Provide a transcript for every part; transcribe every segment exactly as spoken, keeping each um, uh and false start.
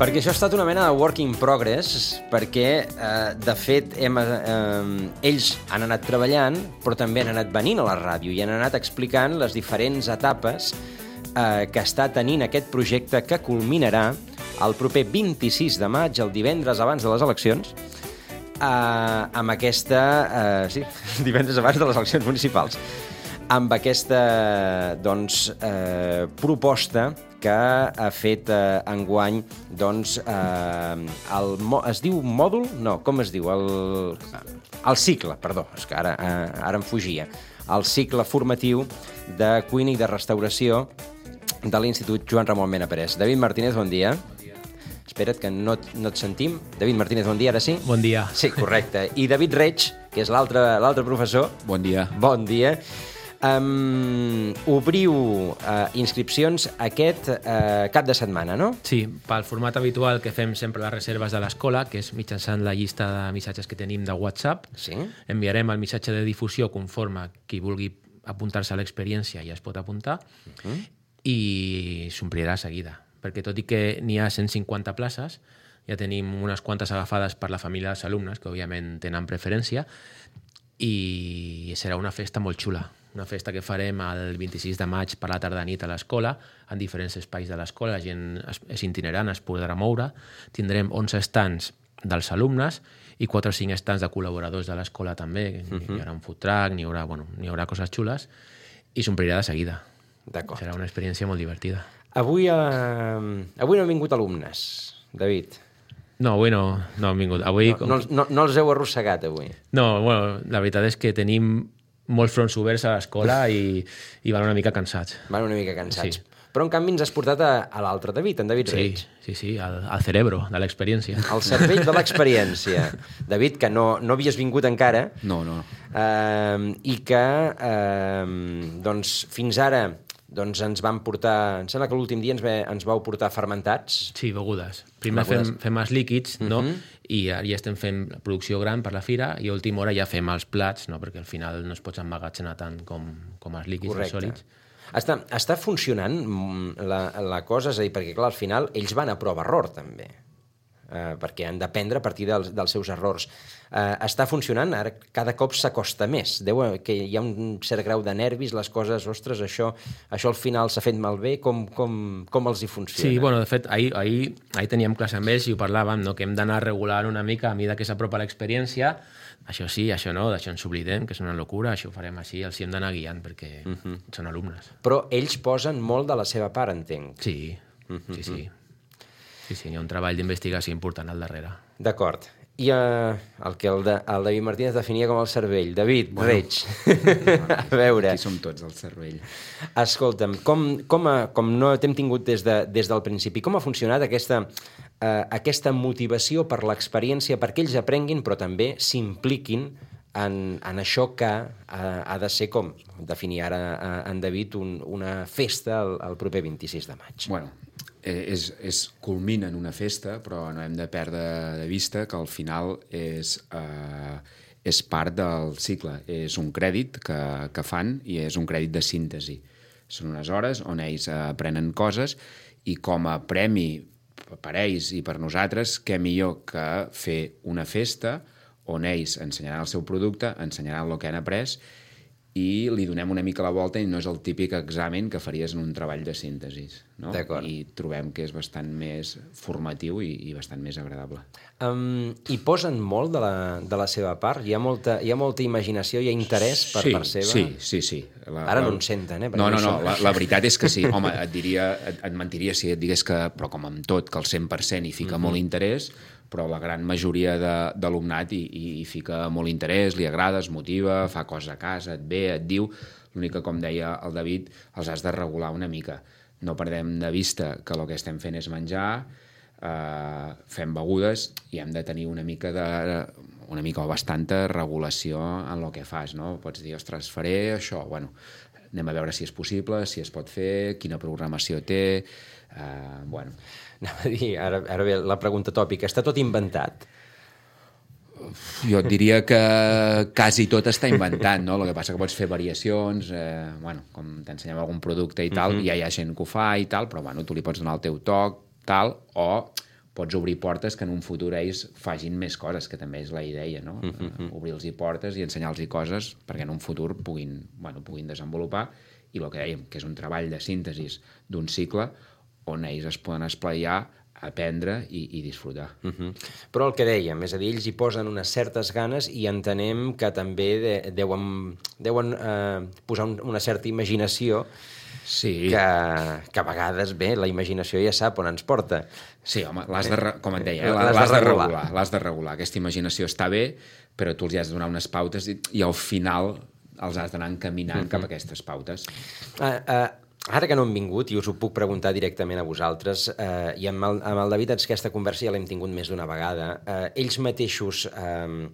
Perquè això ha estat una mena de work in progress, perquè, eh, de fet, hem, eh, ells han anat treballant, però també han anat venint a la ràdio i han anat explicant les diferents etapes eh, que està tenint aquest projecte que culminarà el proper vint-i-sis de maig, el divendres abans de les eleccions, eh, amb aquesta... Eh, sí, divendres abans de les eleccions municipals, amb aquesta, doncs, eh, proposta que ha fet eh, enguany, doncs, eh, el, es diu mòdul? No, com es diu? El, el cicle, perdó, és que ara, eh, ara em fugia. El cicle formatiu de cuina i de restauració de l'Institut Joan Ramon Mena Pérez. David Martínez, bon dia. Bon dia. Espera't, que no, no et sentim. David Martínez, bon dia, ara sí? Bon dia. Sí, correcte. I David Reig, que és l'altre l'altre professor. Bon dia. Bon dia. Um, obriu uh, inscripcions aquest uh, cap de setmana, no? Sí, pel format habitual que fem sempre les reserves de l'escola, que és mitjançant la llista de missatges que tenim de WhatsApp. Sí. Enviarem el missatge de difusió conforme qui vulgui apuntar-se a l'experiència ja es pot apuntar, uh-huh. i s'omplirà a seguida, perquè tot i que n'hi ha cent cinquanta places, ja tenim unes quantes agafades per la família dels alumnes, que òbviament tenen preferència, i serà una festa molt xula. Una festa que farem el vint-i-sis de maig per la tarda-nit a l'escola, en diferents espais de l'escola, la gent és itinerant, es podrà moure. Tindrem onze stands dels alumnes i quatre o cinc stands de col·laboradors de l'escola també. Uh-huh. Hi haurà un food truck, n'hi haurà, bueno, n'hi haurà coses xules i s'omplirà de seguida. D'acord. Serà una experiència molt divertida. Avui, eh, avui no han vingut alumnes, David. No, avui no, no han vingut. Avui, no, no, no, no els heu arrossegat, avui. No, bueno, la veritat és que tenim molts fronts oberts a l'escola i, i van una mica cansats. Van una mica cansats. Sí. Però, en canvi, ens has portat a, a l'altre David, en David sí, Reig. Sí, sí, al, al cerebro de l'experiència. El cervell de l'experiència. David, que no, no havies vingut encara. No, no. Eh, I que, eh, doncs, fins ara doncs ens van portar... Em sembla que l'últim dia ens, ve, ens vau portar fermentats. Sí, begudes. Primer begudes. fem, fem els líquids, no? Uh-huh. I ara ja estem fent la producció gran per la fira i a última hora ja fem els plats, no? Perquè al final no es pots emmagatzenar tant com, com els líquids, els sòlids. Està, està funcionant la, la cosa? És a dir, perquè clar, al final ells van a prova-error també, eh, perquè han d'aprendre a partir dels, dels seus errors. Eh, està funcionant? Ara cada cop s'acosta més. Deu que hi ha un cert grau de nervis, les coses, ostres, això, això al final s'ha fet malbé, com, com, com els hi funciona? Sí, bueno, de fet, ahir, ahir, ahir teníem classe amb ells i ho parlàvem, no? Que hem d'anar regulant una mica a mesura que s'apropa l'experiència. Això sí, això no, d'això ens oblidem, que és una locura, això ho farem així, els hi hem d'anar guiant perquè uh-huh. són alumnes. Però ells posen molt de la seva part, entenc. Sí, uh-huh. sí, sí. Sí, sí, hi ha un treball d'investigació important al darrere. D'acord. I uh, el que el, de, el David Martínez definia com el cervell. David, bueno. Reig. A veure. Aquí som tots el cervell. Escolta'm, com, com, a, com no t'hem tingut des, de, des del principi, com ha funcionat aquesta, uh, aquesta motivació per l'experiència, perquè ells aprenguin, però també s'impliquin en, en això que uh, ha de ser, com definia ara uh, en David, un, una festa el, el proper vint-i-sis de maig? Bueno, és, és culmina en una festa, però no hem de perdre de vista que al final és, eh, és part del cicle. És un crèdit que, que fan i és un crèdit de síntesi. Són unes hores on ells aprenen coses i com a premi per ells i per nosaltres, què millor que fer una festa on ells ensenyaran el seu producte, ensenyaran el que han après i li donem una mica la volta i no és el típic examen que faries en un treball de síntesi, no? D'acord. I trobem que és bastant més formatiu i, i bastant més agradable. Um, I posen molt de la, de la seva part? Hi ha molta, hi ha molta imaginació, hi ha interès per sí, part seva? Sí, sí, sí. La, Ara la... no en senten, eh? No, no, no, la, la veritat és que sí. Home, et diria, et, et mentiria si et digués que, però com amb tot, que el cent per cent hi fica mm-hmm. molt interès, però la gran majoria d'alumnat hi, hi, hi fica molt interès, li agrada, es motiva, fa coses a casa, et ve, et diu. L'únic que, com deia el David, els has de regular una mica. No perdem de vista que el que estem fent és menjar, eh, fem begudes i hem de tenir una mica de una mica o bastanta regulació en el que fas, no? Pots dir, ostres, faré això, bueno, anem a veure si és possible, si es pot fer, quina programació té, eh, bueno... Anava a dir, ara, ara ve la pregunta tòpica, està tot inventat? Jo et diria que quasi tot està inventat, no? El que passa que pots fer variacions, eh, bueno, com t'ensenyem algun producte i tal, uh-huh. ja hi ha gent que ho fa i tal, però bueno, tu li pots donar el teu toc, tal, o pots obrir portes que en un futur ells fagin més coses, que també és la idea, no? Mm-hmm. Obrir-los portes i ensenyar-los coses perquè en un futur puguin, bueno, puguin desenvolupar, i el que dèiem, que és un treball de síntesis d'un cicle on ells es poden esplaiar, aprendre i, i disfrutar. Uh-huh. Però el que dèiem, és a dir, ells hi posen unes certes ganes i entenem que també de, deuen, deuen eh, posar un, una certa imaginació sí. que, que a vegades, bé, la imaginació ja sap on ens porta. Sí, home, l'has de, com et deia, eh? l'has, l'has de regular. L'has de regular. Aquesta imaginació està bé, però tu els has de donar unes pautes i, i al final els has d'anar encaminant uh-huh. cap a aquestes pautes. Uh, uh, Ara que no hem vingut, i us ho puc preguntar directament a vosaltres, eh, i amb el, amb el David aquesta conversa ja l'hem tingut més d'una vegada, eh, ells mateixos, eh,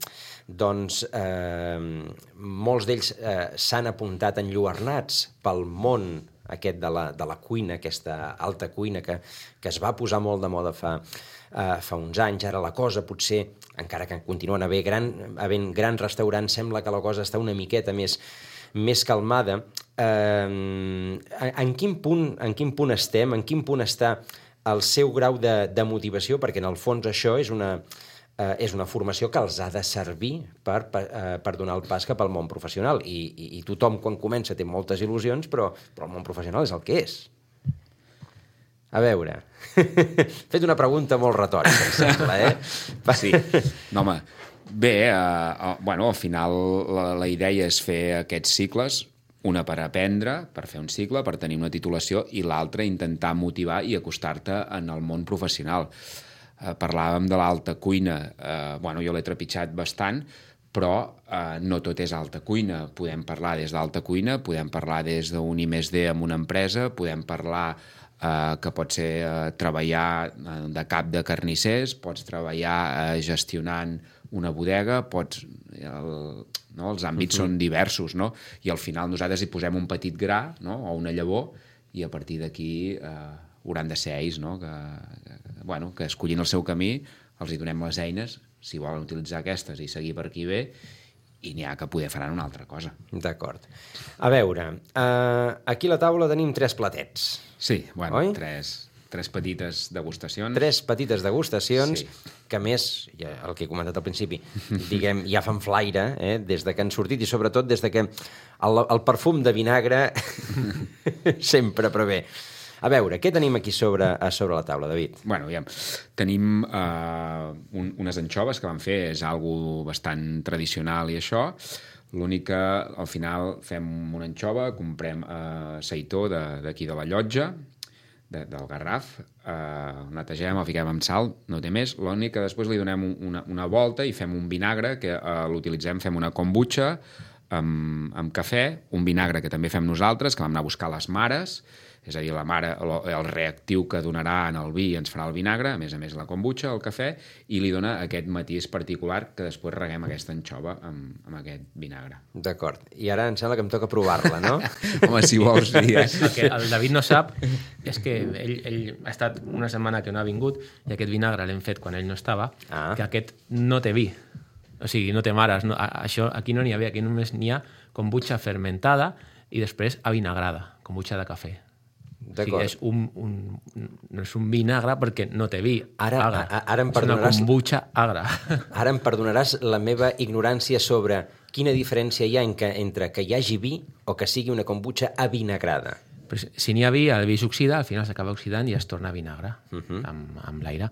doncs, eh, molts d'ells eh, s'han apuntat enlluernats pel món aquest de la, de la cuina, aquesta alta cuina que, que es va posar molt de moda fa, eh, fa uns anys. Ara la cosa potser, encara que continuen havent gran, havent grans restaurants, sembla que la cosa està una miqueta més més calmada. Eh, en, quin punt, en quin punt estem? En quin punt està el seu grau de, de motivació? Perquè en el fons això és una, eh, és una formació que els ha de servir per, per, eh, per donar el pas cap al món professional. I, i, i tothom quan comença té moltes il·lusions, però, però el món professional és el que és. A veure, he fet una pregunta molt retòrica, em sembla, eh? Sí, no, home, bé, eh, bueno, al final la, la idea és fer aquests cicles, una per aprendre, per fer un cicle, per tenir una titulació, i l'altra intentar motivar i acostar-te en el món professional. Eh, parlàvem de l'alta cuina, eh, bueno, jo l'he trepitjat bastant, però eh, no tot és alta cuina. Podem parlar des d'alta cuina, podem parlar des d'un I més D en una empresa, podem parlar eh, que pot ser eh, treballar de cap de carnissers, pots treballar eh, gestionant una bodega, pots, el, no? els àmbits uh-huh. són diversos, no? I al final nosaltres hi posem un petit gra, no? O una llavor, i a partir d'aquí eh, hauran de ser ells, no? que, que, bueno, que escollin el seu camí, els hi donem les eines, si volen utilitzar aquestes i seguir per aquí bé, i n'hi ha que poder faran una altra cosa. D'acord. A veure, eh, aquí a la taula tenim tres platets. Sí, bueno, oi? tres... Tres petites degustacions. Tres petites degustacions, sí. que més, ja, el que he comentat al principi, diguem, ja fan flaire, eh, des de que han sortit, i sobretot des de que el, el perfum de vinagre sempre prevé. A veure, què tenim aquí sobre, a sobre la taula, David? Bueno, ja, tenim uh, un, unes anxoves que vam fer, és algo bastant tradicional i això. L'únic que al final fem una anxova, comprem uh, seitó d'aquí de, de la Llotja, de, del Garraf, eh, el netegem, el fiquem amb sal, no té més. L'únic que després li donem una, una volta i fem un vinagre que eh, l'utilitzem, fem una kombucha amb, amb cafè, un vinagre que també fem nosaltres, que vam anar a buscar les mares, és a dir, la mare, el, el reactiu que donarà en el vi ens farà el vinagre, a més a més la kombucha, el cafè, i li dona aquest matís particular que després reguem aquesta anxova amb, amb aquest vinagre. D'acord. I ara em sembla que em toca provar-la, no? Home, si vols, sí. Eh? El que el David no sap és que ell, ell ha estat una setmana que no ha vingut i aquest vinagre l'hem fet quan ell no estava, ah. que aquest no té vi. O sigui, no té mares. No, això, aquí no n'hi havia, aquí només n'hi ha kombucha fermentada i després avinagrada, kombucha de cafè. O sigui, és un, un, no és un vinagre perquè no té vi. Ara, agre. a, ara em és una kombucha agra. Ara em perdonaràs la meva ignorància sobre quina diferència hi ha en que, entre que hi hagi vi o que sigui una kombucha avinagrada. Però si n'hi ha vi, el vi s'oxida, al final s'acaba oxidant i es torna vinagre uh-huh. amb, amb l'aire.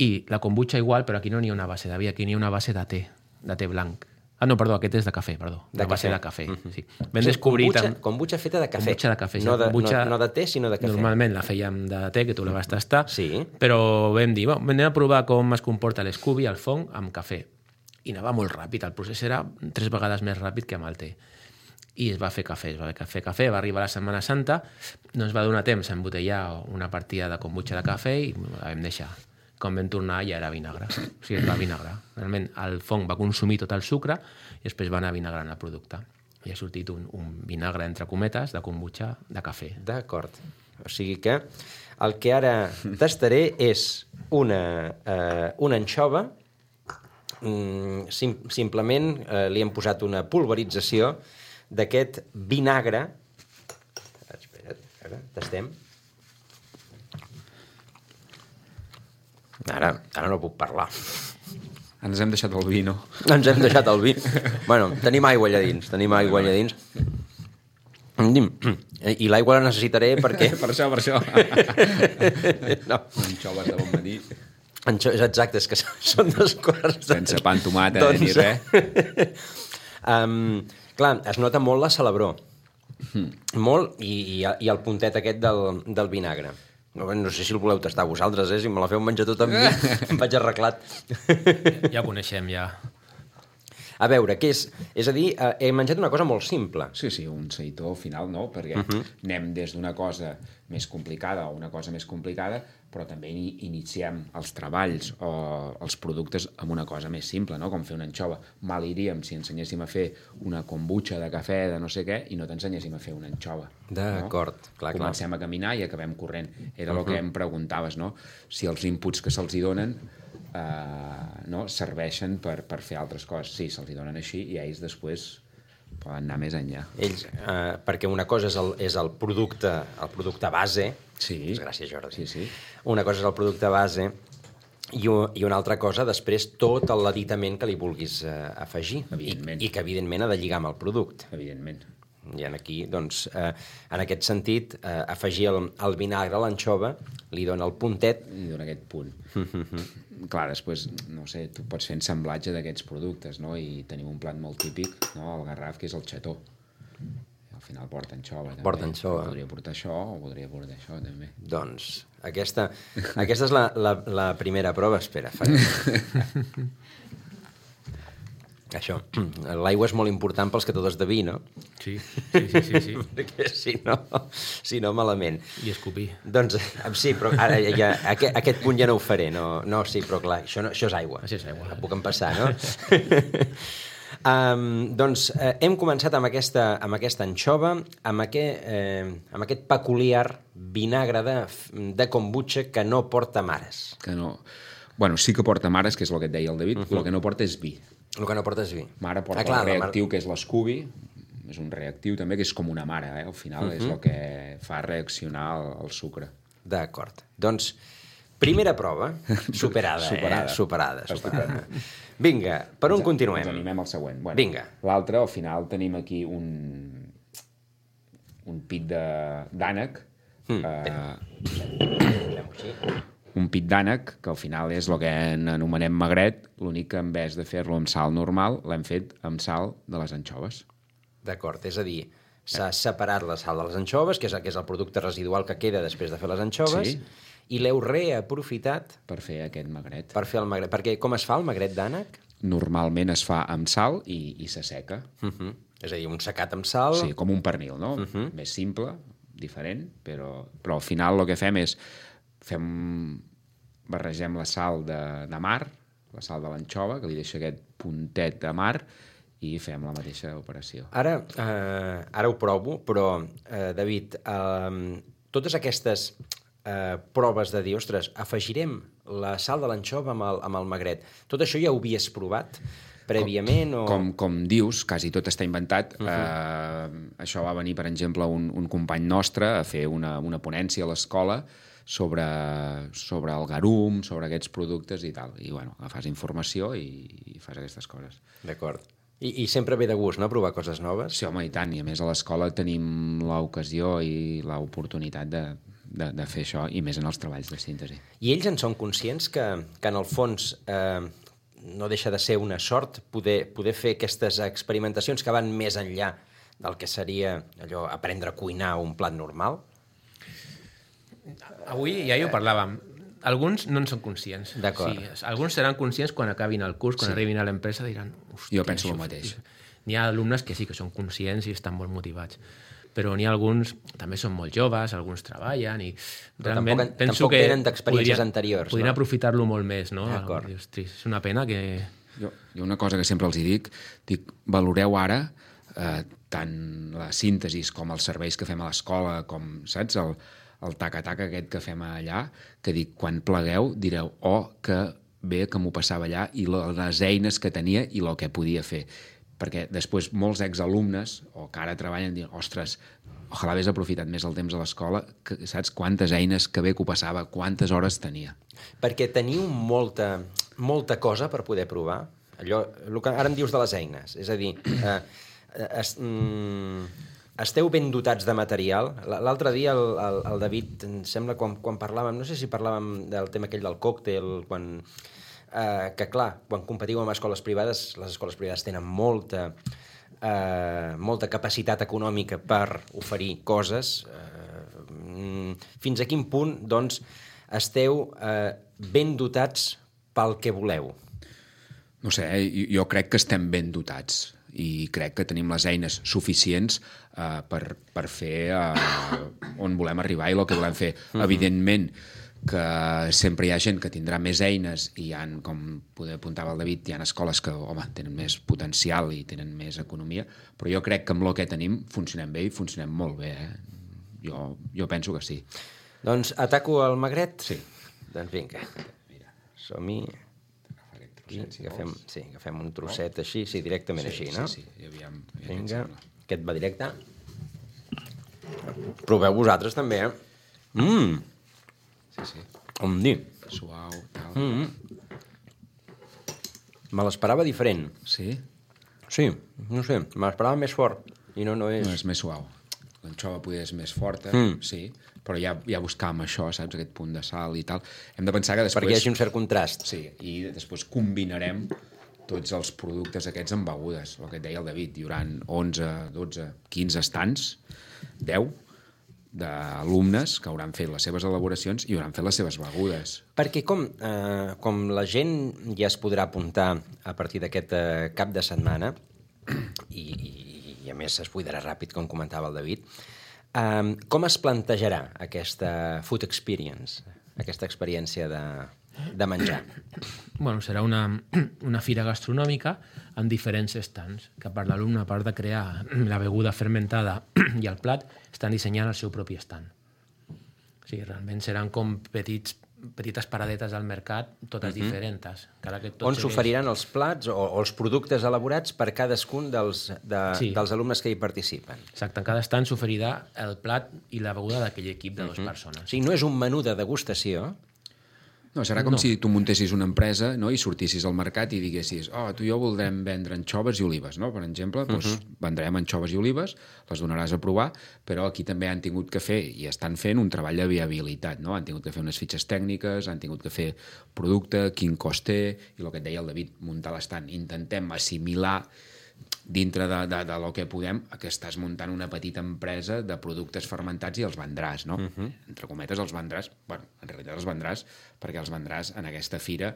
I la kombucha igual, però aquí no n'hi ha una base de vi, aquí n'hi ha una base de te, de te blanc. Ah, no, perdó, aquest és de cafè, perdó. De la base cafè. de cafè, uh-huh. sí. Vam descobrir... Kombucha, kombucha feta de cafè. Kombucha de cafè, sí. No de, kombucha, no, no de te, sinó de cafè. Normalment la fèiem de te, que tu la vas tastar, sí. Però vam dir, bueno, anem a provar com es comporta l'escubi al fong amb cafè. I anava molt ràpid, el procés era tres vegades més ràpid que amb el te. I es va fer cafè, es va fer cafè, va arribar la Setmana Santa, no ens va donar temps a embotellar una partida de kombucha de cafè i la vam deixar. Quan vam tornar ja era vinagre, o sigui, es va vinagrar. Realment el fong va consumir tot el sucre i després va anar vinagrant el producte. I ha sortit un, un vinagre, entre cometes, de kombucha de cafè. D'acord. O sigui que el que ara tastaré és una, eh, una anxova, mm, sim, simplement eh, li hem posat una pulverització d'aquest vinagre. Espera't, ara, tastem. Ara, ara no puc parlar. Ens hem deixat el vi, no? Ens hem deixat el vi. Bueno, tenim aigua allà dins, tenim aigua allà dins. I l'aigua la necessitaré perquè... Per això, per això. No. Anxoves de bon matí. Anxo... Exacte, és que són dos quarts. Sense pa amb tomata doncs... ni res. um, clar, es nota molt la salabror. Mm. Molt, i, i, i el puntet aquest del, del vinagre. No, no sé si el voleu tastar vosaltres, eh? Si me la feu menjar tot amb mi, em vaig arreglat. Ja ho coneixem, ja. A veure, què és? És a dir, eh, he menjat una cosa molt simple. Sí, sí, un seitó final, no? Perquè uh -huh. anem des d'una cosa més complicada a una cosa més complicada, però també iniciem els treballs o els productes amb una cosa més simple, no? Com fer una anxova. Mal iríem si ensenyéssim a fer una kombucha de cafè de no sé què i no t'ensenyéssim a fer una anxova. D'acord, no? clar, clar. Comencem a caminar i acabem corrent. Era uh -huh. el que em preguntaves, no? Si els inputs que se'ls hi donen Uh, no? serveixen per, per fer altres coses. Sí, se'ls hi donen així i ells després poden anar més enllà. Ells, uh, perquè una cosa és el, és el producte el producte base. Sí. Gràcies, Jordi. Sí, sí. Una cosa és el producte base i, i una altra cosa després tot l'aditament que li vulguis uh, afegir. Evidentment. I, i que evidentment ha de lligar amb el producte. Evidentment. I aquí, doncs, eh, en aquest sentit, eh, afegir el, el vinagre a l'anxova li dona el puntet. Li dona aquest punt. Clar, després, no sé, tu pots fer ensamblatge d'aquests productes, no? I tenim un plat molt típic, no? El Garraf, que és el xató. I al final porta anxova, també. Porta anxova. Podria portar això o podria portar això, també. Doncs, aquesta, aquesta és la, la, la primera prova. Espera, fa... Això, l'aigua és molt important pels que totes de vi, no? Sí, sí, sí, sí, sí. Perquè si no, si no, malament. I escopir. Doncs sí, però ara ja, aquest, aquest punt ja no ho faré. No, no sí, però clar, això, no, això és aigua. Això és aigua. La puc empassar, no? um, doncs eh, hem començat amb aquesta, amb aquesta anxova, amb aquest, eh, amb aquest peculiar vinagre de, de kombucha que no porta mares. Que no... Bueno, sí que porta mares, que és el que et deia el David, uh -huh. el que no porta és vi. El que no porta és vi. Mare porta ah, clar, el reactiu, mar... que és l'escubi, és un reactiu també, que és com una mare, eh? Al final uh -huh. és el que fa reaccionar el, el sucre. D'acord. Doncs, primera prova, superada, superada. eh? Superada, superada. Vinga, per on ens, continuem? Ens animem al següent. Bueno, Vinga. L'altre, al final, tenim aquí un, un pit d'ànec. Mm. Eh, un pit d'ànec, que al final és el que anomenem magret, l'únic que en vez de fer-lo amb sal normal, l'hem fet amb sal de les anxoves. D'acord, és a dir, s'ha separat la sal de les anxoves, que és, que és el producte residual que queda després de fer les anxoves, sí. I l'heu reaprofitat per fer aquest magret. Per fer el magret. Perquè com es fa el magret d'ànec? Normalment es fa amb sal i, i s'asseca. Uh-huh. És a dir, un secat amb sal... Sí, com un pernil, no? Uh-huh. Més simple, diferent, però, però al final el que fem és fem, barregem la sal de, de mar, la sal de l'anxova, que li deixa aquest puntet de mar, i fem la mateixa operació. Ara, eh, ara ho provo, però, eh, David, eh, totes aquestes eh, proves de dir, ostres, afegirem la sal de l'anxova amb, el, amb el magret, tot això ja ho havies provat prèviament? Com, o... com, com dius, quasi tot està inventat. Uh-huh. eh, això va venir, per exemple, un, un company nostre a fer una, una ponència a l'escola sobre, sobre el garum, sobre aquests productes i tal. I, bueno, agafes informació i, i fas aquestes coses. D'acord. I, I sempre ve de gust, no?, provar coses noves? Sí, home, i tant. I a més a l'escola tenim l'ocasió i l'oportunitat de, de, de fer això, i més en els treballs de síntesi. I ells en són conscients que, que en el fons eh, no deixa de ser una sort poder, poder fer aquestes experimentacions que van més enllà del que seria allò aprendre a cuinar un plat normal? Avui ja hi ho parlàvem. Alguns no en són conscients. D'acord. Sí, alguns seran conscients quan acabin el curs, quan sí. arribin a l'empresa, diran... Jo penso el mateix. N'hi ha alumnes que sí que són conscients i estan molt motivats, però n'hi ha alguns, també són molt joves, alguns treballen i però realment tampoc, penso tampoc que tenen d'experiències podrien, anteriors. Podrien no? aprofitar-lo molt més, no? D'acord. Ostres, és una pena que... Jo, jo una cosa que sempre els hi dic, dic, valoreu ara eh, tant la síntesi com els serveis que fem a l'escola, com, saps, el, el taca-taca aquest que fem allà, que dic, quan plegueu direu, oh, que bé que m'ho passava allà i les eines que tenia i el que podia fer. Perquè després molts exalumnes, o que ara treballen, diuen, ostres, ojalà hagués aprofitat més el temps a l'escola, que saps quantes eines, que bé que ho passava, quantes hores tenia. Perquè teniu molta, molta cosa per poder provar. Allò, el que ara em dius de les eines, és a dir, eh, es, mm, esteu ben dotats de material. L'altre dia el, el, el David, em sembla, quan, quan parlàvem, no sé si parlàvem del tema aquell del còctel, quan... Uh, que clar, quan competiu amb escoles privades, les escoles privades tenen molta, uh, molta capacitat econòmica per oferir coses. Uh, fins a quin punt, doncs, esteu uh, ben dotats pel que voleu? No sé, eh? jo crec que estem ben dotats i crec que tenim les eines suficients uh, per, per fer uh, on volem arribar i el que volem fer. Mm-hmm. Evidentment, que sempre hi ha gent que tindrà més eines i hi ha, com poder apuntava el David, hi ha escoles que, home, tenen més potencial i tenen més economia, però jo crec que amb el que tenim funcionem bé i funcionem molt bé. Eh? Jo, jo penso que sí. Doncs ataco el magret? Sí. Doncs vinga, som-hi. Aquí, agafem, sí, agafem un trosset així, sí, directament sí, així, no? Sí, sí, aviam. aviam vinga, aquest va directe. Proveu vosaltres també, eh? Mmm! Sí, sí. On dir? Suau, tal. Mm-hmm. Me l'esperava diferent. Sí? Sí, no sé, me l'esperava més fort. I no, no és... No, és més suau. L'anxova poder és més forta, mm. sí, però ja, ja buscàvem això, saps? Aquest punt de sal i tal. Hem de pensar que després... Perquè hi hagi un cert contrast. Sí, i després combinarem tots els productes aquests amb begudes. El que et deia el David, hi haurà onze, dotze, quinze estants, deu, d'alumnes que hauran fet les seves elaboracions i hauran fet les seves begudes. Perquè com, eh, com la gent ja es podrà apuntar a partir d'aquest eh, cap de setmana, i, i, i a més es buidarà ràpid, com comentava el David, eh, com es plantejarà aquesta food experience, aquesta experiència de, de menjar? Bueno, serà una, una fira gastronòmica amb diferents estants, que per l'alumne, a part de crear la beguda fermentada i el plat, estan dissenyant el seu propi estant. O sigui, realment seran com petits, petites paradetes al mercat, totes mm-hmm. diferents. Cada que tot on segueix... s'oferiran els plats o, o els productes elaborats per cadascun dels, de, sí. dels alumnes que hi participen. Exacte, en cada estant s'oferirà el plat i la beguda d'aquell equip de mm-hmm. dues persones. O sigui, no és un menú de degustació. No, serà com no. si tu muntessis una empresa, no?, i sortissis al mercat i diguessis, oh, tu i jo voldrem vendre anxoves i olives, no?, per exemple, doncs uh-huh. vendrem anxoves i olives, les donaràs a provar, però aquí també han tingut que fer, i estan fent, un treball de viabilitat, no? Han tingut que fer unes fitxes tècniques, han tingut que fer producte, quin cost té, i el que et deia el David, muntar l'estant. Intentem assimilar dintre de, de, de lo que podem, que estàs muntant una petita empresa de productes fermentats i els vendràs, no? Uh-huh. Entre cometes, els vendràs, bueno, en realitat els vendràs perquè els vendràs en aquesta fira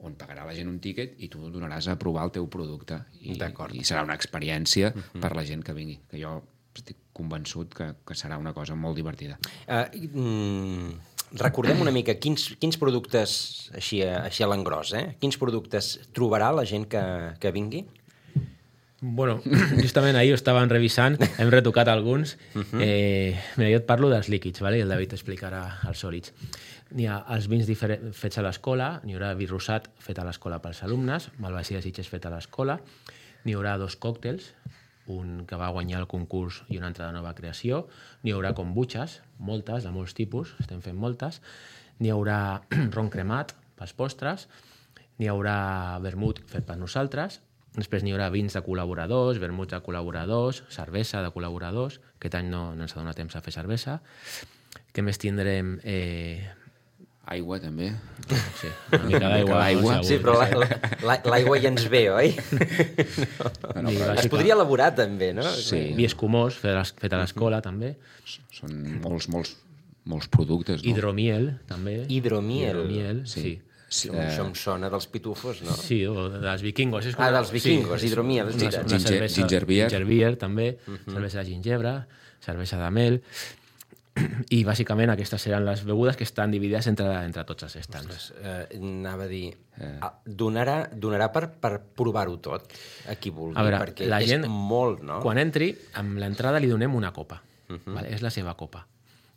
on pagarà la gent un tíquet i tu donaràs a provar el teu producte. I, i serà una experiència uh-huh. per la gent que vingui, que jo estic convençut que, que serà una cosa molt divertida. Uh, mm, recordem una mica quins, quins productes, així a, així a l'engròs, eh? Quins productes trobarà la gent que, que vingui? Bueno, justament ahir ho estaven revisant, hem retocat alguns. Uh-huh. Eh, mira, jo et parlo dels líquids, vale? I el David explicarà els sòlids. N'hi ha els vins diferents fets a l'escola, n'hi haurà vi rosat fet a l'escola pels alumnes, malvasia de Sitges fet a l'escola, n'hi haurà dos còctels, un que va guanyar el concurs i un altre de nova creació, n'hi haurà kombuchas, moltes, de molts tipus, estem fent moltes, n'hi haurà ron cremat pels postres, n'hi haurà vermut fet per nosaltres. Després n'hi haurà vins de col·laboradors, vermuts de col·laboradors, cervesa de col·laboradors. Aquest any no, no ens ha donat temps a fer cervesa. Què més tindrem? Eh... Aigua, també. Sí, una mica d'aigua. Aigua. Sí, però l'aigua ja ens ve, oi? No, no, però es podria elaborar, també, no? Sí. Vi escumós, fet a l'escola, també. Són molts, molts, molts productes, no? Hidromiel, també. Hidromiel. Hidromiel, sí. sí. Sí, eh... Això em sona dels pitufos, no? Sí, o dels vikingos. És ah, dels vikingos, sí, hidromiel. Una, una Ginger, cervesa, ginger beer. Ginger beer, també. Uh-huh. Cervesa de gingebre, cervesa de mel. I, bàsicament, aquestes seran les begudes que estan dividides entre, entre tots els estants. Eh, anava a dir... Eh. Donarà, donarà per, per provar-ho tot, a qui vulgui, a veure, perquè la és gent, molt, no? Quan entri, amb l'entrada li donem una copa. Uh-huh. Vale? És la seva copa.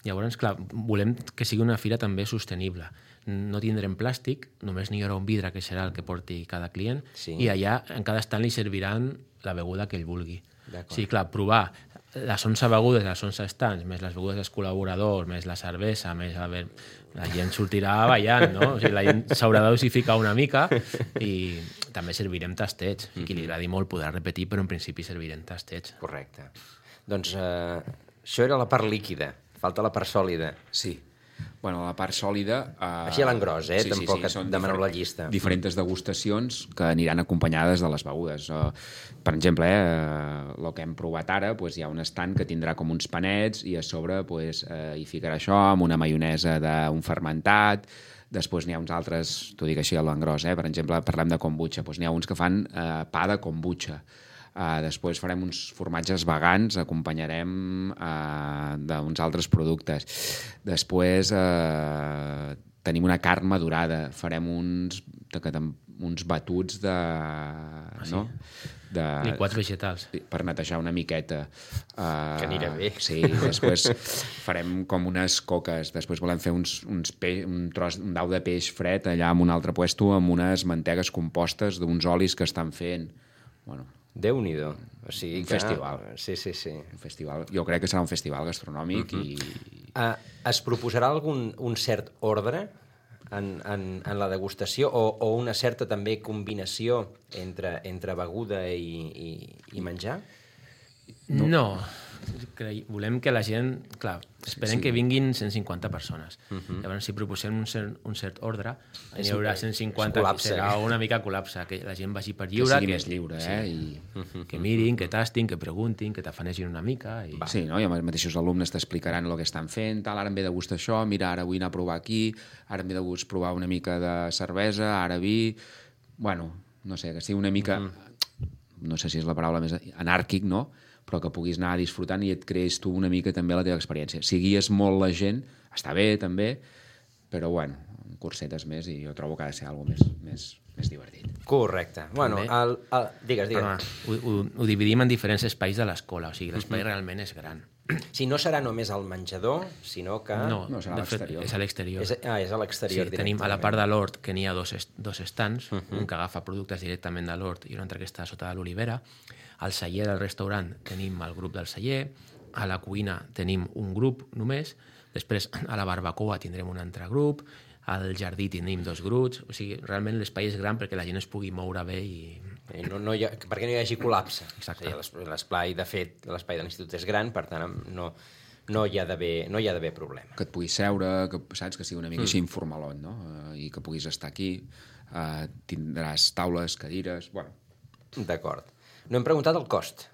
Llavors, clar, volem que sigui una fira també sostenible. No tindrem plàstic, només n'hi haurà un vidre que serà el que porti cada client, sí. I allà en cada estant li serviran la beguda que ell vulgui. Sí, clar, provar les onze begudes, les onze estants, més les begudes dels col·laboradors, més la cervesa, més a veure, la gent sortirà ballant, no? O sigui, la gent s'haurà de dosificar una mica i també servirem tastets. I qui li agradi molt podrà repetir, però en principi servirem tastets. Correcte. Doncs eh, això era la part líquida. Falta la part sòlida. Sí. Bueno, la part sòlida... Eh, Així a l'engròs, eh? Sí, sí, Tampoc sí, et són demaneu diferent- la llista. Diferents degustacions que aniran acompanyades de les begudes. Uh, per exemple, eh, el que hem provat ara, pues, hi ha un estand que tindrà com uns panets i a sobre pues, eh, hi ficarà això amb una maionesa d'un fermentat. Després n'hi ha uns altres, t'ho dic així a l'engròs, eh? Per exemple, parlem de kombucha. Pues, n'hi ha uns que fan eh, pa de kombucha. Uh, després farem uns formatges vegans, acompanyarem uh, d'uns altres productes. Després uh, tenim una carn madurada, farem uns, uns batuts de... Ah, sí? no? de Liquats vegetals. per netejar una miqueta. Uh, Que anirà bé. Sí, després farem com unes coques, després volem fer uns, uns pe un, tros, un dau de peix fred allà en un altre puesto amb unes mantegues compostes d'uns olis que estan fent. Bueno, Déu-n'hi-do. O sigui un que... festival. Sí, sí, sí. un festival. Jo crec que serà un festival gastronòmic uh -huh. i... Uh, es proposarà algun un cert ordre en, en, en la degustació o, o una certa també combinació entre, entre beguda i, i, i menjar? No. no. Cre... Volem que la gent... Clar, esperem sí. que vinguin cent cinquanta persones. Uh -huh. Llavors, si proposem un cert, un cert ordre, n'hi haurà cent cinquanta, serà una mica col·lapse, que la gent vagi per lliure. Que sigui que, més lliure, sí, eh? I... uh -huh. Que mirin, que tastin, que preguntin, que t'afanegin una mica. I... Sí, no? I els mateixos alumnes t'explicaran el que estan fent, tal, ara em ve de gust això, mira, ara vull anar a provar aquí, ara em ve de gust provar una mica de cervesa, ara vi... Bueno, no sé, que sigui una mica... Uh -huh. No sé si és la paraula més anàrquic, no?, però que puguis anar disfrutant i et crees tu una mica també la teva experiència. Si guies molt la gent, està bé també, però bueno, cursetes més i jo trobo que ha de ser alguna més, més, més divertit. Correcte. Bueno, el, el... digues, digues. Però, ho, ho, ho dividim en diferents espais de l'escola, o sigui, l'espai uh -huh. realment és gran. Si no serà només al menjador, sinó que... No, no serà a l'exterior. És a l'exterior. És, ah, és a l'exterior. Sí, tenim a la part de l'hort que n'hi ha dos, est dos estants, uh -huh. un que agafa productes directament de l'hort i un altre que està sota de l'olivera. Al celler del restaurant tenim el grup del celler, a la cuina tenim un grup només, després a la barbacoa tindrem un altre grup, al jardí tenim dos grups, o sigui, realment l'espai és gran perquè la gent es pugui moure bé i... I no, no hi ha, perquè no hi hagi col·lapse. Exacte. O sigui, l'espai, de fet, l'espai de l'institut és gran, per tant, no, no hi ha d'haver no hi ha d'haver problema. Que et puguis seure, que, saps, que sigui una mica mm. així informalot, no? Uh, I que puguis estar aquí, uh, tindràs taules, cadires... Bueno. D'acord. No hem preguntat el cost.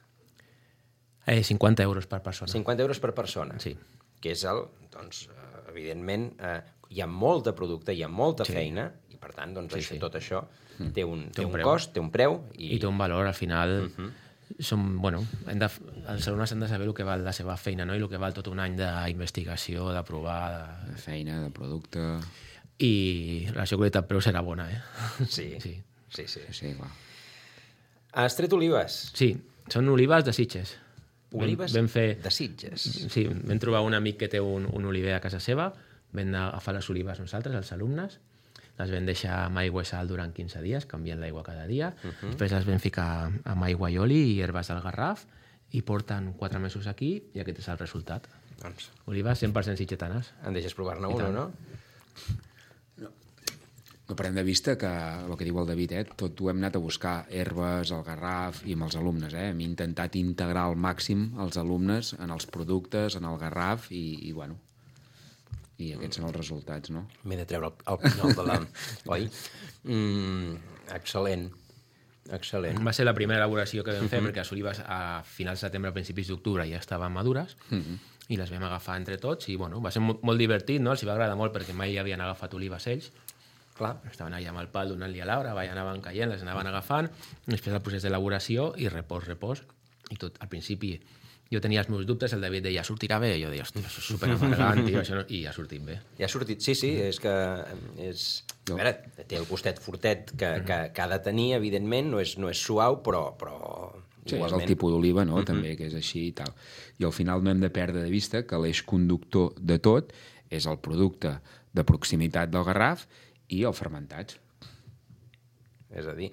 Eh, cinquanta euros per persona. cinquanta euros per persona. Sí. Que és el, doncs, evidentment, eh, hi ha molt de producte, hi ha molta sí. feina, i per tant, doncs, sí, això, sí. tot això mm. té un, té té un, un preu. cost, té un preu. I, I té un valor, al final... Uh Mhm. -huh. Som, bueno, hem de, els alumnes han de saber el que val la seva feina, no? I el que val tot un any d'investigació, de provar... De... de feina, de producte... I la qualitat-preu serà bona, eh? Sí, sí, sí. sí. sí. Sí, clar. Has tret olives? Sí, són olives de Sitges. Olives vam, vam fer, de Sitges. Sí, vam trobar un amic que té un, un oliver a casa seva, vam anar a agafar les olives nosaltres, els alumnes, les vam deixar amb aigua i sal durant quinze dies, canviant l'aigua cada dia, uh -huh. després les vam ficar amb aigua i oli i herbes del Garraf, i porten quatre mesos aquí, i aquest és el resultat. Doncs, olives cent per cent sitgetanes. em deixes provar-ne una, no? No, no perdem de vista que, el que diu el David, eh, tot ho hem anat a buscar, herbes, el Garraf i amb els alumnes. Eh? Hem intentat integrar al màxim els alumnes en els productes, en el Garraf i, i bueno, i aquests són els resultats, no? M'he de treure el, el pinyol de la... Oi? Mm, excel·lent. Excel·lent. Va ser la primera elaboració que vam fer, perquè les olives a finals de setembre, principis d'octubre ja estaven madures, uh -huh. i les vam agafar entre tots, i bueno, va ser molt, molt divertit, no? Els va agradar molt perquè mai havien agafat olives ells. Clar, estaven allà amb el pal donant-li a l'arbre, anaven caient, les anaven agafant, després el procés d'elaboració i repòs, repòs, i tot, al principi jo tenia els meus dubtes, el David deia, sortirà bé? I jo deia, hòstia, això és superamargant, tio, això no... i ja ha sortit bé. Ja ha sortit, sí, sí, és que és... A veure, té el gustet fortet que, que, que ha de tenir, evidentment, no és, no és suau, però, però sí, igualment... és el tipus d'oliva, no?, uh -huh. també, que és així i tal. I al final no hem de perdre de vista que l'eix conductor de tot és el producte de proximitat del Garraf i el fermentat. És a dir,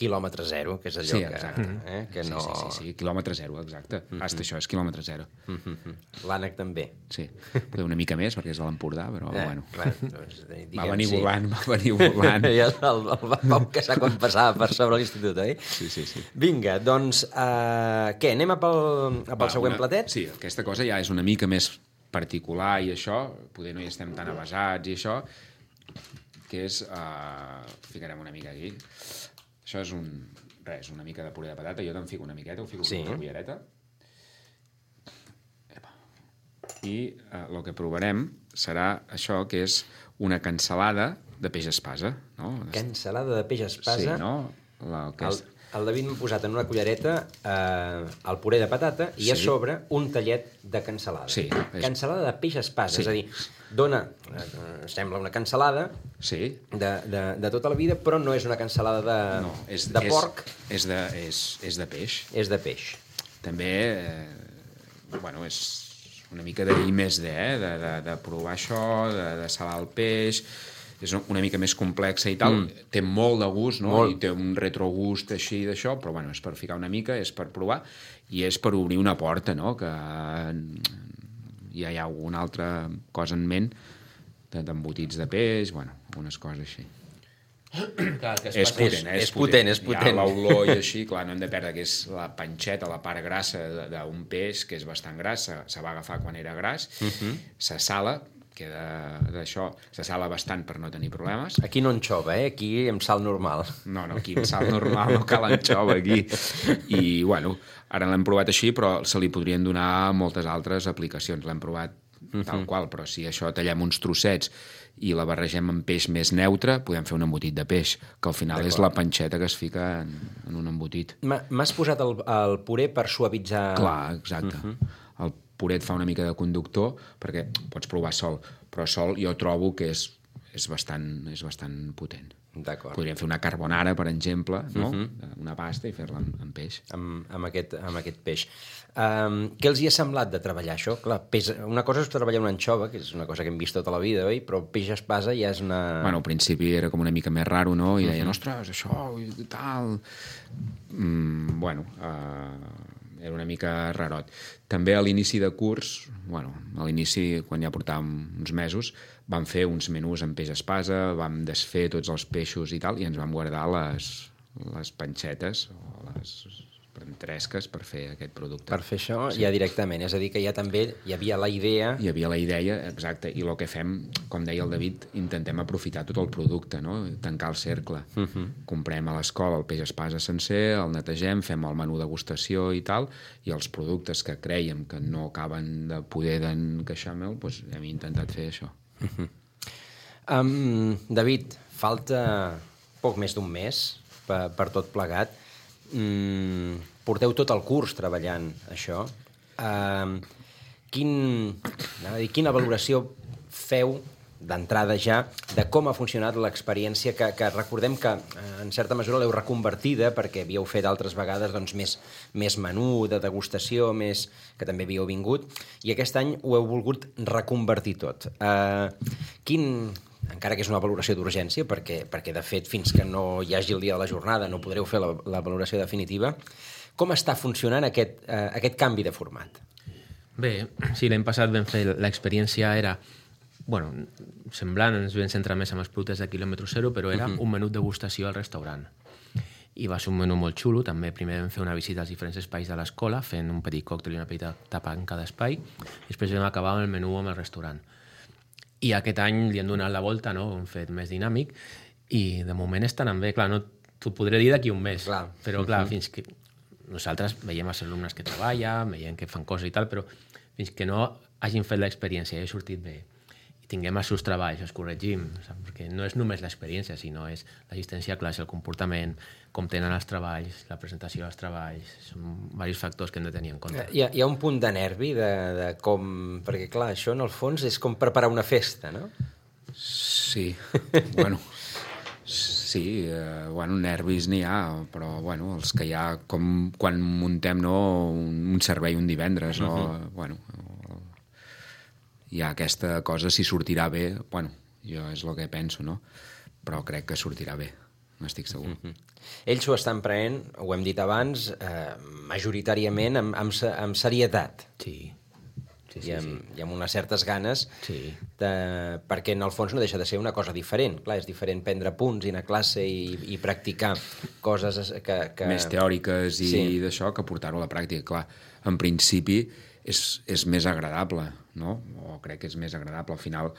quilòmetre zero, que és allò Sí, que, exacte. eh, que no... Sí, sí, sí, sí, quilòmetre zero, exacte. Mm -hmm. Hasta això és quilòmetre zero. Mm -hmm. L'ànec també. Sí, potser una mica més, perquè és de l'Empordà, però eh, bueno. Clar, doncs, diguem, va venir sí. volant, va venir volant. I el, el, el vam caçar quan passava per sobre l'institut, oi? Sí, sí, sí. Vinga, doncs, uh, què, anem a pel, a pel Va, següent una, platet? Sí, aquesta cosa ja és una mica més particular i això, poder no hi estem tan avasats i això, que és... Uh, ficarem una mica aquí. Això és un... res, una mica de puré de patata. Jo te'n fico una miqueta, ho fico sí. una cullereta. Epa. I el uh, que provarem serà això, que és una cansalada de peix espasa. No? Cansalada de peix espasa? Sí, no? La, que el, és... el David m'ha posat en una cullereta eh, el puré de patata i sí. a sobre un tallet de cansalada. Sí. És... Cansalada de peix espasa, sí. és a dir, dona, eh, sembla una cansalada sí. de, de, de tota la vida, però no és una cansalada de, no, és, de porc. És, és, de, és, és de peix. És de peix. També, eh, bueno, és una mica de I més D, eh? de, de, de provar això, de, de salar el peix... és una mica més complexa i tal, mm. té molt de gust, no? Molt. I té un retrogust així d'això, però bueno, és per ficar una mica, és per provar, i és per obrir una porta, no? Que ja hi ha alguna altra cosa en ment, d'embotits de peix, bueno, algunes coses així. Clar, que és, potent, eh? és, és potent, és potent. Hi ha l'olor i així, clar, no hem de perdre que és la panxeta, la part grassa d'un peix, que és bastant gras, se, se va agafar quan era gras, uh-huh. se sala, queda d'això, se sala bastant per no tenir problemes. Aquí no anxova, eh? Aquí amb sal normal. No, no, aquí amb sal normal no cal anxova, aquí. I, bueno, ara l'hem provat així, però se li podrien donar moltes altres aplicacions. L'hem provat uh-huh. tal qual, però si això tallem uns trossets i la barregem amb peix més neutre, podem fer un embotit de peix, que al final és la panxeta que es fica en, en un embotit. M'has posat el, el puré per suavitzar... Clar, exacte. Uh-huh. El puré et fa una mica de conductor, perquè pots provar sol, però sol jo trobo que és, és, bastant, és bastant potent. D'acord. Podríem fer una carbonara, per exemple, no? Uh-huh. Una pasta i fer-la amb, amb peix. Amb, amb, aquest, amb aquest peix. Um, què els hi ha semblat de treballar això? Clar, peix, una cosa és treballar una anxova, que és una cosa que hem vist tota la vida, oi? Però peix espasa ja és una... Bueno, al principi era com una mica més raro, no? I deien, uh-huh. ostres, això, i tal... Mm, bueno, uh, era una mica rarot. També a l'inici de curs, bueno, a l'inici, quan ja portàvem uns mesos, vam fer uns menús amb peix espasa, vam desfer tots els peixos i tal, i ens vam guardar les, les panxetes o les entresques per fer aquest producte. Per fer això sí. ja directament, és a dir, que ja també hi havia la idea... Hi havia la idea, exacte, i el que fem, com deia el David, intentem aprofitar tot el producte, no? Tancar el cercle. Uh-huh. Comprem a l'escola el peix espasa sencer, el netegem, fem el menú degustació i tal, i els productes que creiem que no acaben de poder d'encaixar amb el, doncs hem intentat fer això. Uh-huh. um, David, falta poc més d'un mes per, per tot plegat. Mm, porteu tot el curs treballant això. Uh, quin, dir, quina valoració feu d'entrada ja de com ha funcionat l'experiència que, que recordem que en certa mesura l'heu reconvertida perquè havíeu fet altres vegades doncs, més, més menú de degustació, més, que també havíeu vingut, i aquest any ho heu volgut reconvertir tot. Uh, quin... encara que és una valoració d'urgència, perquè, perquè de fet fins que no hi hagi el dia de la jornada no podreu fer la, la valoració definitiva, com està funcionant aquest, eh, aquest canvi de format? Bé, sí, l'any passat vam fer l'experiència, era bueno, semblant, ens vam centrar més en els productes de quilòmetre zero, però era uh-huh. un menú de degustació al restaurant. I va ser un menú molt xulo, també primer vam fer una visita als diferents espais de l'escola, fent un petit còctel i una petita tapa en cada espai, i després vam acabar amb el menú amb el restaurant. I aquest any li hem donat la volta, no? Ho hem fet més dinàmic, i de moment està anant bé. Clar, no t'ho podré dir d'aquí un mes, clar. Però clar, uh-huh. fins que nosaltres veiem els alumnes que treballen, veiem que fan coses i tal, però fins que no hagin fet l'experiència i hagi sortit bé, i tinguem els seus treballs, els corregim, saps? Perquè no és només l'experiència, sinó és l'assistència a classe, el comportament, com tenen els treballs, la presentació dels treballs, són diversos factors que hem de tenir en compte. Hi ha, hi ha un punt de nervi de, de com... Perquè, clar, això en el fons és com preparar una festa, no? Sí, bueno... Sí, eh, bueno, nervis n'hi ha, però bueno, els que hi ha, com quan muntem no, un, un servei un divendres, no? Uh-huh. Bueno, hi ha aquesta cosa, si sortirà bé, bueno, jo és el que penso, no? Però crec que sortirà bé. n'estic segur. Mm-hmm. Ells ho estan prenent, ho hem dit abans, eh, majoritàriament amb, amb, amb serietat. Sí. Sí, sí, I, amb, sí. i amb unes certes ganes, Sí. de, perquè en el fons no deixa de ser una cosa diferent. Clar, és diferent prendre punts i anar a classe i, i practicar coses que... que... Més teòriques i Sí. d'això que portar-ho a la pràctica. Clar, en principi és, és més agradable, no? O crec que és més agradable. Al final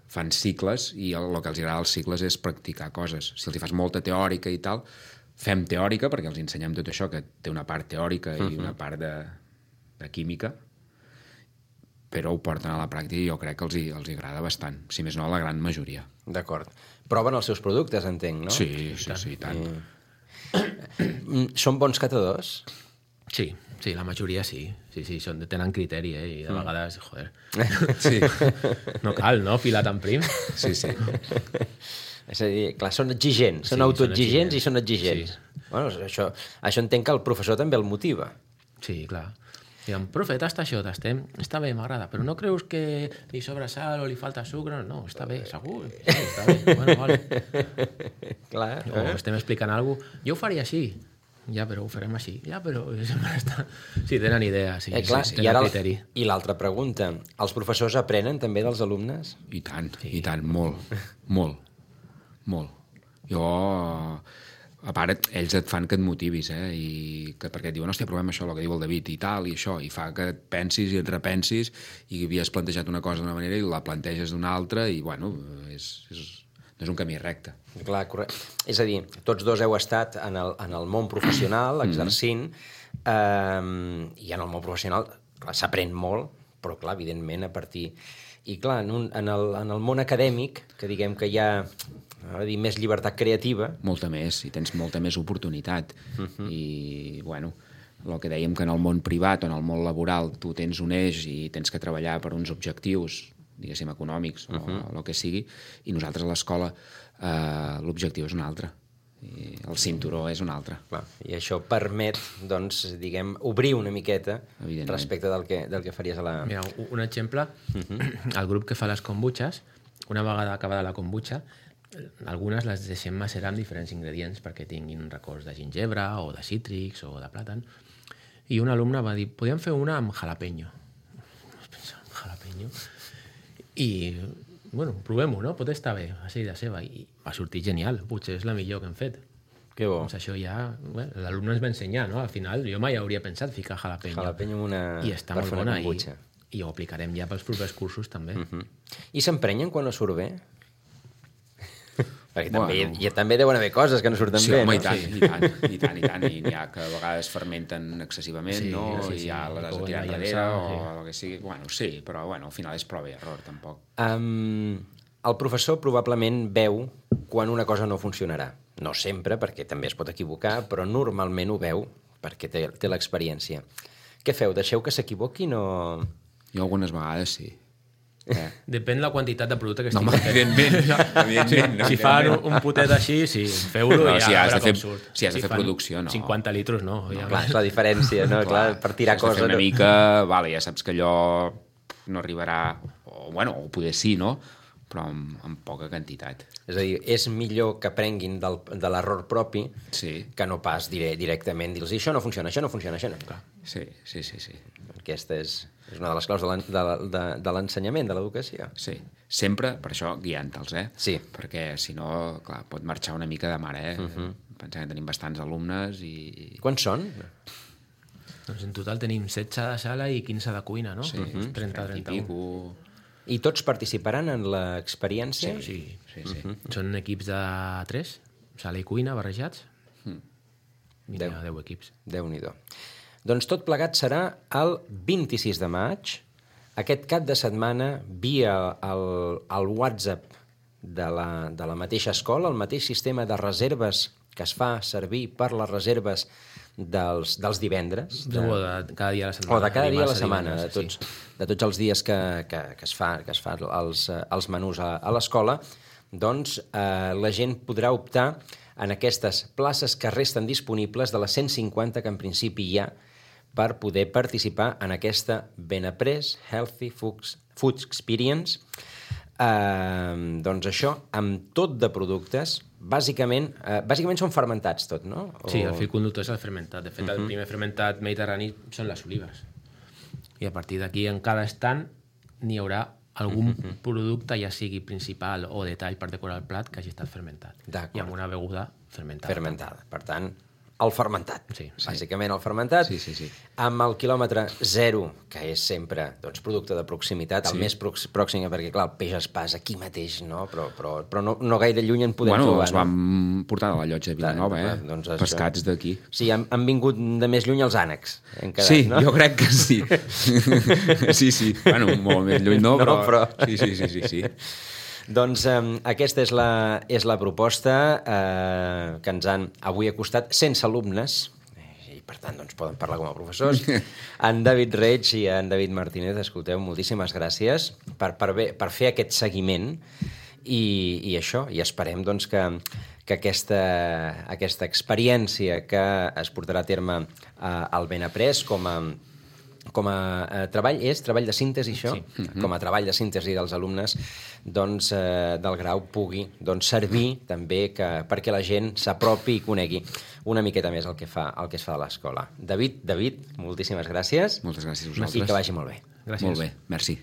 fan cicles i el, el que els agrada als cicles és practicar coses. Si els hi fas molta teòrica i tal, fem teòrica, perquè els ensenyem tot això, que té una part teòrica i una part de, de química, però ho porten a la pràctica i jo crec que els hi, els hi agrada bastant, si més no la gran majoria. D'acord. Proven els seus productes, entenc, no? Sí, sí, sí, i tant. Mm, Són bons catadors? Sí, sí, la majoria sí. Sí, sí, són, tenen criteri, eh? I de vegades, joder, Sí, no cal, no?, filar tan prim. sí, sí. És a dir, clar, són exigents, són Sí, autoexigents són i són exigents. Sí. Bueno, això, això entenc que el professor també el motiva. Sí, clar. Diguem, profe, tasta això, tastem, està bé, m'agrada, però no creus que li sobra sal o li falta sucre? No, està bé, segur, sí, està bé, bueno, vale. Clar, O eh? estem explicant alguna cosa, jo ho faria així, ja, però ho farem així, ja, però sempre està... Sí, tenen idea, sí, Eh, clar, sí, i tenen ara el- criteri. I l'altra pregunta, els professors aprenen també dels alumnes? I tant, sí. i tant, molt, molt, molt. Jo, a part, ells et fan que et motivis, eh? I que, perquè et diuen, hòstia, provem això, el que diu el David, i tal, i això, i fa que et pensis i et repensis, i havies plantejat una cosa d'una manera i la planteges d'una altra, i, bueno, és, és, no és un camí recte. Clar, correcte. És a dir, tots dos heu estat en el, en el món professional, exercint, eh, i en el món professional clar, s'aprèn molt, però, clar, evidentment, a partir... I, clar, en, un, en, el, en el món acadèmic, que diguem que hi ha a dir, més llibertat creativa... Molta més, i tens molta més oportunitat. Uh-huh. I, bueno, el que dèiem que en el món privat o en el món laboral tu tens un eix i tens que treballar per uns objectius, diguéssim, econòmics uh-huh. o el que sigui, i nosaltres a l'escola eh, l'objectiu és un altre. I el cinturó és un altre. Clar, i això permet, doncs, diguem, obrir una miqueta respecte del que, del que faries a la... Mira, un un exemple, el grup que fa les kombuchas, una vegada acabada la kombucha, algunes les deixem macerar amb diferents ingredients perquè tinguin records de gingebre o de cítrics o de plàtan. I un alumne va dir, podríem fer una amb jalapeño. Pensava, jalapeño? I, bueno, provem-ho, no? Pot estar bé, va ser idea seva. I va sortir genial, potser és la millor que hem fet. Que bo. Doncs això ja... Bueno, l'alumne ens va ensenyar, no? Al final, jo mai hauria pensat ficar jalapeño. Jalapeño amb una... I està per molt fer una bona i, kombucha. i ho aplicarem ja pels propers cursos també. Uh -huh. I s'emprenyen quan no surt bé? Perquè també, Bueno. hi, hi, també deuen haver coses que no surten Sí, bé, home, no? i tant, i tant, i tant, i tant, i n'hi ha que a vegades fermenten excessivament, Sí, no? sí, I sí, ja les has de poden tirar llançar, enrere, o sí. el que sigui. Bueno, sí, però bueno, al final és prova i error, tampoc. Um, el professor probablement veu quan una cosa no funcionarà. No sempre, perquè també es pot equivocar, però normalment ho veu, perquè té, té l'experiència. Què feu? Deixeu que s'equivoquin o...? Jo algunes vegades sí. Eh? Depèn la quantitat de producte que No, estigui home, evidentment, evidentment. no, Si fan evidentment. un putet així, sí, feu-lo No, i ja si a has veure de fer- com surt. si has de fer fan producció, no. cinquanta litros, no. Ja Clar, és la diferència, no? Clar, per tirar has de coses... fer una no- mica, vale, ja saps que allò no arribarà, o, bueno, o poder sí, no? Però amb, amb poca quantitat. És a dir, és millor que aprenguin del, de l'error propi Sí, que no pas dire, directament dir-los això no funciona, això no funciona, això no. Clar, sí, sí, sí, sí. aquesta és, és una de les claus de l'en- de, de, de l'ensenyament, de l'educació. Sí, sempre, per això, guiant-te'ls, eh? Sí. Perquè, si no, clar, pot marxar una mica de mare, eh? Uh-huh. Pensem que tenim bastants alumnes i... Quants són? Doncs en total tenim setze de sala i quinze de cuina, no? Sí, trenta, trenta i trenta-u. pico... I tots participaran en l'experiència? Sí, Sí, sí. són equips de tres, sala i cuina barrejats. Mm. I Deu. n'hi ha deu equips. Déu-n'hi-do. Doncs tot plegat serà el vint-i-sis de maig, aquest cap de setmana, via el, el WhatsApp de la, de la mateixa escola, el mateix sistema de reserves que es fa servir per les reserves dels, dels divendres. De... O de cada dia a la setmana. O de cada dia a la dimarts setmana, de divendres, tots, sí. de tots els dies que, que, que es fa, que es fa els, eh, els menús a, a l'escola, doncs eh, la gent podrà optar en aquestes places que resten disponibles de les cent cinquanta que en principi hi ha per poder participar en aquesta Benaprés Healthy Foods, Food Experience, Uh, doncs això, amb tot de productes, bàsicament, uh, bàsicament són fermentats tot, no? O... Sí, el fil conductor és el fermentat. De fet, uh-huh. el primer fermentat mediterrani són les olives. I a partir d'aquí, en cada estant, n'hi haurà algun uh-huh. producte, ja sigui principal o detall per decorar el plat, que hagi estat fermentat. I amb una beguda fermentada. Fermentada. Per tant, el fermentat. Sí, bàsicament el fermentat. Sí, sí, sí. Amb el quilòmetre zero, que és sempre doncs, producte de proximitat, sí. el més pròxim, perquè clar, el peix espàs aquí mateix, no? Però, però, però no, no gaire lluny en podem bueno, trobar. Bueno, els vam no? portar de la llotja de Vilanova, eh? Doncs pescats d'aquí. Sí, han, han vingut de més lluny els ànecs. Quedat, sí, no? jo crec que sí. sí, sí. Bueno, molt més lluny no, però... No, però... Sí, sí, sí, sí, sí. Doncs eh, aquesta és la, és la proposta eh, que ens han avui acostat sense alumnes, i per tant doncs, poden parlar com a professors. En David Reig i en David Martínez, escolteu, moltíssimes gràcies per, per, bé, per fer aquest seguiment i, i això, i esperem doncs, que, que aquesta, aquesta experiència que es portarà a terme eh, al Benaprés com a com a eh, treball, és treball de síntesi, això? Sí. Mm-hmm. Com a treball de síntesi dels alumnes doncs, eh, del grau pugui doncs, servir també que, perquè la gent s'apropi i conegui una miqueta més el que, fa, el que es fa a l'escola. David, David, moltíssimes gràcies. Moltes gràcies a vosaltres. I que vagi molt bé. Gràcies. Molt bé, merci.